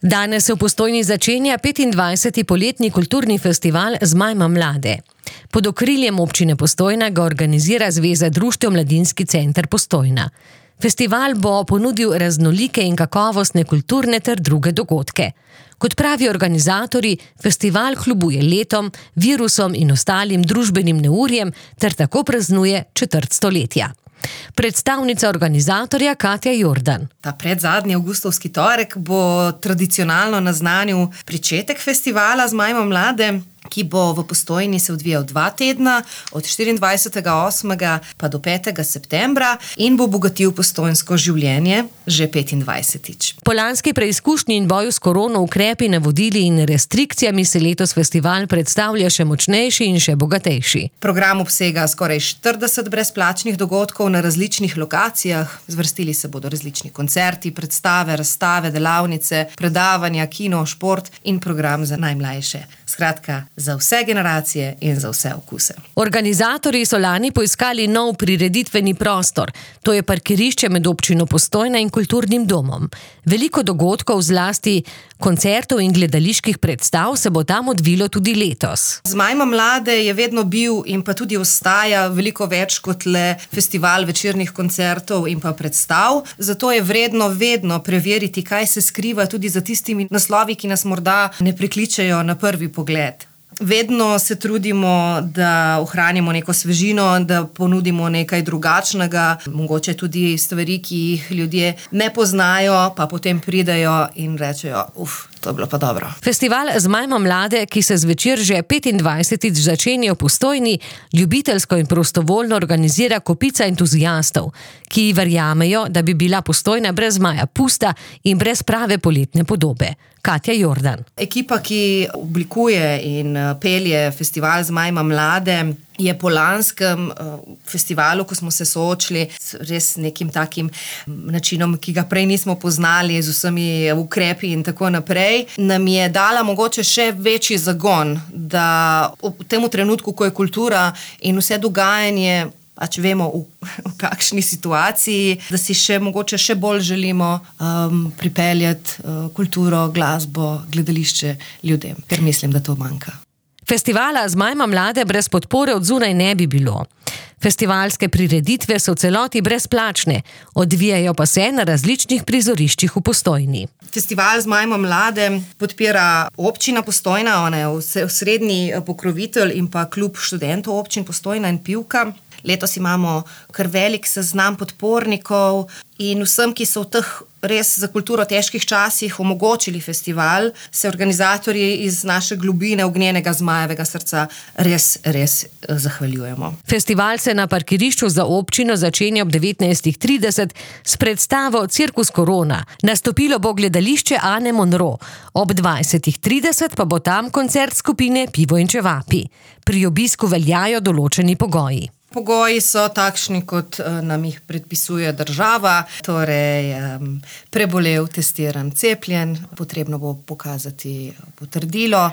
Danes se v Postojni začenja 25. poletni kulturni festival Zmajma mlade. Pod okriljem občine Postojna ga organizira Zveza društev Mladinski center Postojna. Festival bo ponudil raznolike in kakovostne kulturne ter druge dogodke. Kot pravi organizatorji, festival kljubuje letom, virusom in ostalim družbenim neurjem ter tako praznuje četrt stoletja. Predstavnica organizatorja Katja Jordan. Ta predzadnji avgustovski torek bo tradicionalno naznanil pričetek festivala Zmajma mlade, ki bo v Postojni se odvijal 2 tedna, od 24.8. pa do 5. septembra in bo bogatil postojnsko življenje že 25. Po lanski preizkušnji in boju s korono ukrepi, navodili in restrikcijami se letos festival predstavlja še močnejši in še bogatejši. Program obsega skoraj 40 brezplačnih dogodkov na različnih lokacijah. Zvrstili se bodo različni koncerti, predstave, razstave, delavnice, predavanja, kino, šport in program za najmlajše. Skratka, za vse generacije in za vse okuse. Organizatorji so lani poiskali nov prireditveni prostor. To je parkirišče med občino Postojna in kulturnim domom. Veliko dogodkov, zlasti koncertov in gledaliških predstav, se bo tam odvilo tudi letos. Zmajma mlade je vedno bil in pa tudi ostaja veliko več kot le festival večernih koncertov in pa predstav. Zato je vredno vedno preveriti, kaj se skriva tudi za tistimi naslovi, ki nas morda ne prikličejo na prvi pogled. Vedno se trudimo, da ohranimo neko svežino, da ponudimo nekaj drugačnega, mogoče tudi stvari, ki jih ljudje ne poznajo, pa potem pridejo in rečejo, to je bilo pa dobro. Festival Zmajma mlade, ki se zvečer že 25. začenja v Postojni, ljubiteljsko in prostovoljno organizira kopica entuziastov, ki verjamejo, da bi bila Postojna brez zmaja pusta in brez prave poletne podobe. Katja Jordan. Ekipa, ki oblikuje in pelje festival Zmajma mlade, je po lanskem festivalu, ko smo se soočili s res nekim takim načinom, ki ga prej nismo poznali, z vsemi ukrepi in tako naprej, nam je dala mogoče še večji zagon, da v tem trenutku, ko je kultura in vse dogajanje, pač vemo v kakšni situaciji, da si mogoče še bolj želimo pripeljati kulturo, glasbo, gledališče ljudem, ker mislim, da to manjka. Festivala Zmajma mlade brez podpore od zunaj ne bi bilo. Festivalske prireditve so v celoti brezplačne, odvijajo pa se na različnih prizoriščih v Postojni. Festival Zmajma mlade podpira občina Postojna, ona je osrednji pokrovitelj in pa klub študentov občin Postojna in Pivka. Letos imamo kar velik seznam podpornikov in vsem, ki so v teh res za kulturo težkih časih omogočili festival, se organizatorji iz naše globine ognjenega zmajevega srca res zahvaljujemo. Festival se na parkirišču za občino začenja ob 19.30 s predstavo Cirkus Korona. Nastopilo bo gledališče Ane Monro. Ob 20.30 pa bo tam koncert skupine Pivo in čevapi. Pri obisku veljajo določeni pogoji. Pogoji so takšni, kot nam jih predpisuje država, torej prebolel, testiran, cepljen, potrebno bo pokazati potrdilo.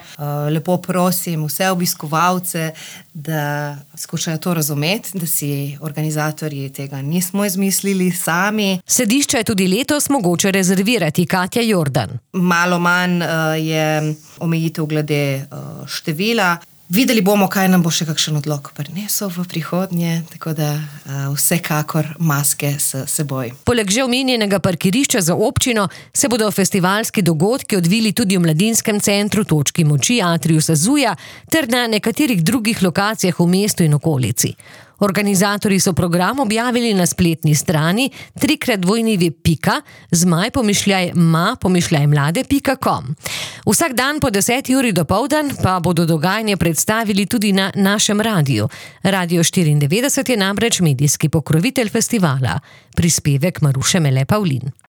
Lepo prosim vse obiskovalce, da skušajo to razumeti, da si organizatorji tega nismo izmislili sami. Sedišča je tudi letos mogoče rezervirati, Katja Jordan. Malo manj je omejitev glede števila. Videli bomo, kaj nam bo še kakšen odlok prinesel v prihodnje, tako da vsekakor maske s seboj. Poleg že omenjenega parkirišča za občino se bodo festivalski dogodki odvili tudi v Mladinskem centru, Točki moči, Atriju Sazuja ter na nekaterih drugih lokacijah v mestu in okolici. Organizatorji so program objavili na spletni strani www.zmaj-mlade.com. Vsak dan po 10. uri dopoldan pa bodo dogajanje predstavili tudi na našem radiju. Radio 94 je namreč medijski pokrovitelj festivala. Prispevek Maruše Mele Pavlin.